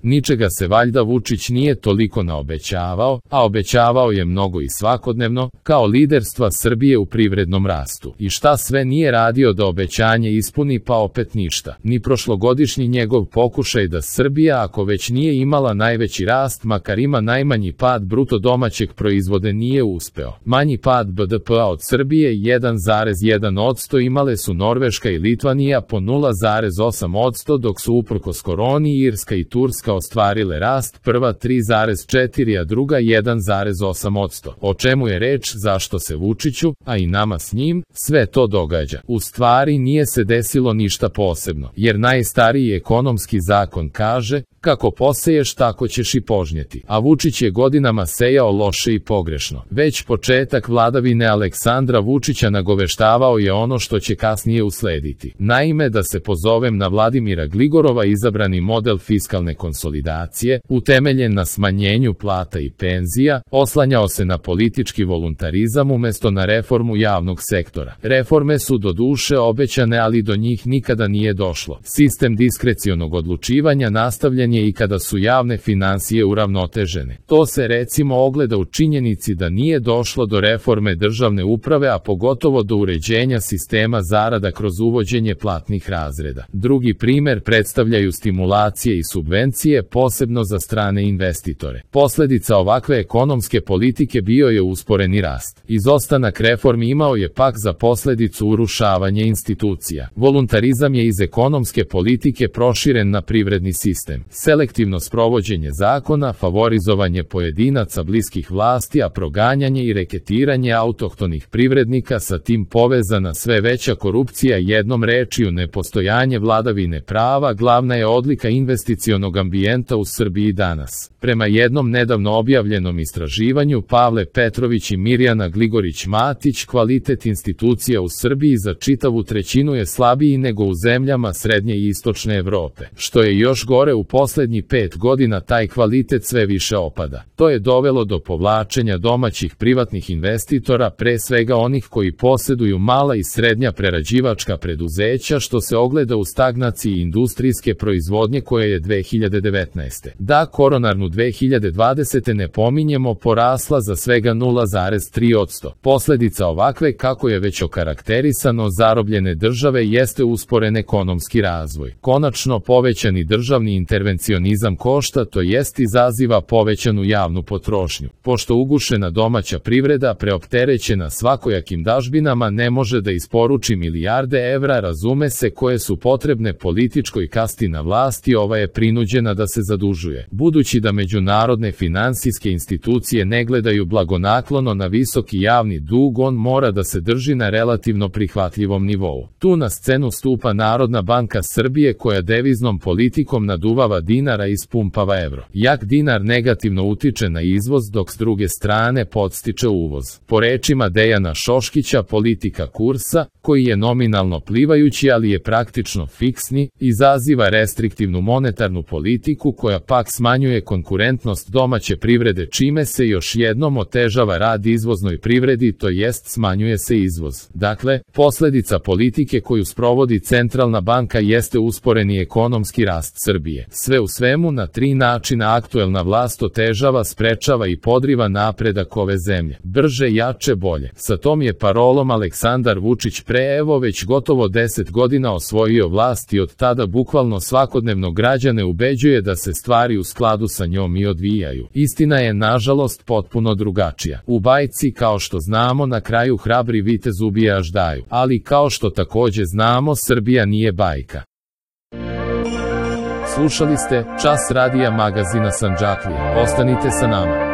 Ničega se valjda Vučić nije toliko naobećavao, a obećavao je mnogo i svakodnevno, kao liderstva Srbije u privrednom rastu. I šta sve nije radio da obećanje ispuni, pa opet ništa. Ni prošlogodišnji njegov pokušaj da Srbija, ako već nije imala najveći rast, makar ima najmanji pad bruto domaćeg proizvoda, nije uspeo. Manji pad BDP-a od Srbije 1,1% imale su Norveška i Litvanija po 0,8%, dok su uprkos koroni Irska i Turska ostvarile rast, prva 3,4%, a druga 1,8%. O čemu je reč, zašto se Vučiću, a i nama s njim, sve to događa? U stvari nije se desilo ništa posebno, jer najstariji ekonomski zakon kaže, kako poseješ tako ćeš i požnjeti. A Vučić je godinama sejao loše i pogrešno. Već početak vladavine Aleksandra Vučića nagoveštavao je ono što će kasnije uslediti. Naime, da se pozovem na Vladimira Gligorova, izabrani model fiskalne konsolidacije, utemeljen na smanjenju plata i penzija, oslanjao se na politički voluntarizam umesto na reformu javnog sektora. Reforme su doduše obećane, ali do njih nikada nije došlo. Sistem diskrecionog odlučivanja nastavljen je i kada su javne finansije uravnotežene. To se recimo ogleda u činjenici da nije došlo do reforme državne uprave, a pogotovo do uređenja sistema zarada kroz uvođenje platnih razreda. Drugi primer predstavljaju stimulacije i subvencije, posebno za strane investitore. Posledica ovakve ekonomske politike bio je usporeni rast. Izostanak reformi imao je pak za posledicu urušavanje institucija. Voluntarizam je iz ekonomske politike proširen na privredni sistem. Selektivno sprovođenje zakona, favorizovanje pojedinaca bliskih vlasti, a proganjanje i reketiranje autohtonih privrednika, sa tim povezana sve veća korupcija, jednom rečju nepostojanje vladavine prava, glavna je odlika investicionog ambijenta u Srbiji danas. Prema jednom nedavno objavljenom istraživanju Pavle Petrović i Mirjana Gligorić-Matić, kvalitet institucija u Srbiji za čitavu trećinu je slabiji nego u zemljama srednje i istočne Evrope. Što je još gore, u poslednjih 5 godina taj kvalitet sve više opada. To je dovelo do povlačenja domaćih privatnih investitora, pre svega onih koji poseduju mala i srednja prerađivačka preduzeća, što se ogleda u stagnaciji industrijske proizvodnje koja je 2019. Da koronarnu 2020. ne pominjemo, porasla za svega 0,3%. Posledica ovakve, kako je već okarakterisano, zarobljene države jeste usporen ekonomski razvoj. Konačno, povećani državni intervencionizam košta, to jest izaziva povećanu javnu potrošnju. Pošto ugušena domaća privreda, preopterećena svakojakim dažbinama, ne može da isporuči milijarde evra, razume se, koje su potrebne političkoj kasti na vlasti, ova je prinuđena da se zadužuje. Budući da međunarodne finansijske institucije ne gledaju blagonaklono na visoki javni dug, on mora da se drži na relativno prihvatljivom nivou. Tu na scenu stupa Narodna banka Srbije, koja deviznom politikom naduvava dinara i ispumpava evro. Jak dinar negativno utiče na izvoz, dok s druge strane podstiče uvoz. Po rečima Dejana Šoškića, politika kursa, koji je nominalno plivajući ali je praktično fiksni, izaziva restriktivnu monetarnu politiku koja pak smanjuje konkurentnost domaće privrede, čime se još jednom otežava rad izvoznoj privredi, to jest smanjuje se izvoz. Dakle, posledica politike koju sprovodi centralna banka jeste usporeni ekonomski rast Srbije. Sve u svemu, na 3 načina aktuelna vlast otežava, sprečava i podriva napredak ove zemlje. Brže, jače, bolje. Sa tom je parolom Aleksandar Vučić pre već gotovo 10 godina osvojio vlast i od tada bukvalno svakodnevno građane ubeđuje da se stvari u skladu sa njom i odvijaju. Istina je, nažalost, potpuno drugačija. U bajci, kao što znamo, na kraju hrabri vitez ubije aždaju, ali kao što takođe znamo, Srbija nije bajka. Slušali ste Čas radija magazina Sandžaklija. Ostanite sa nama.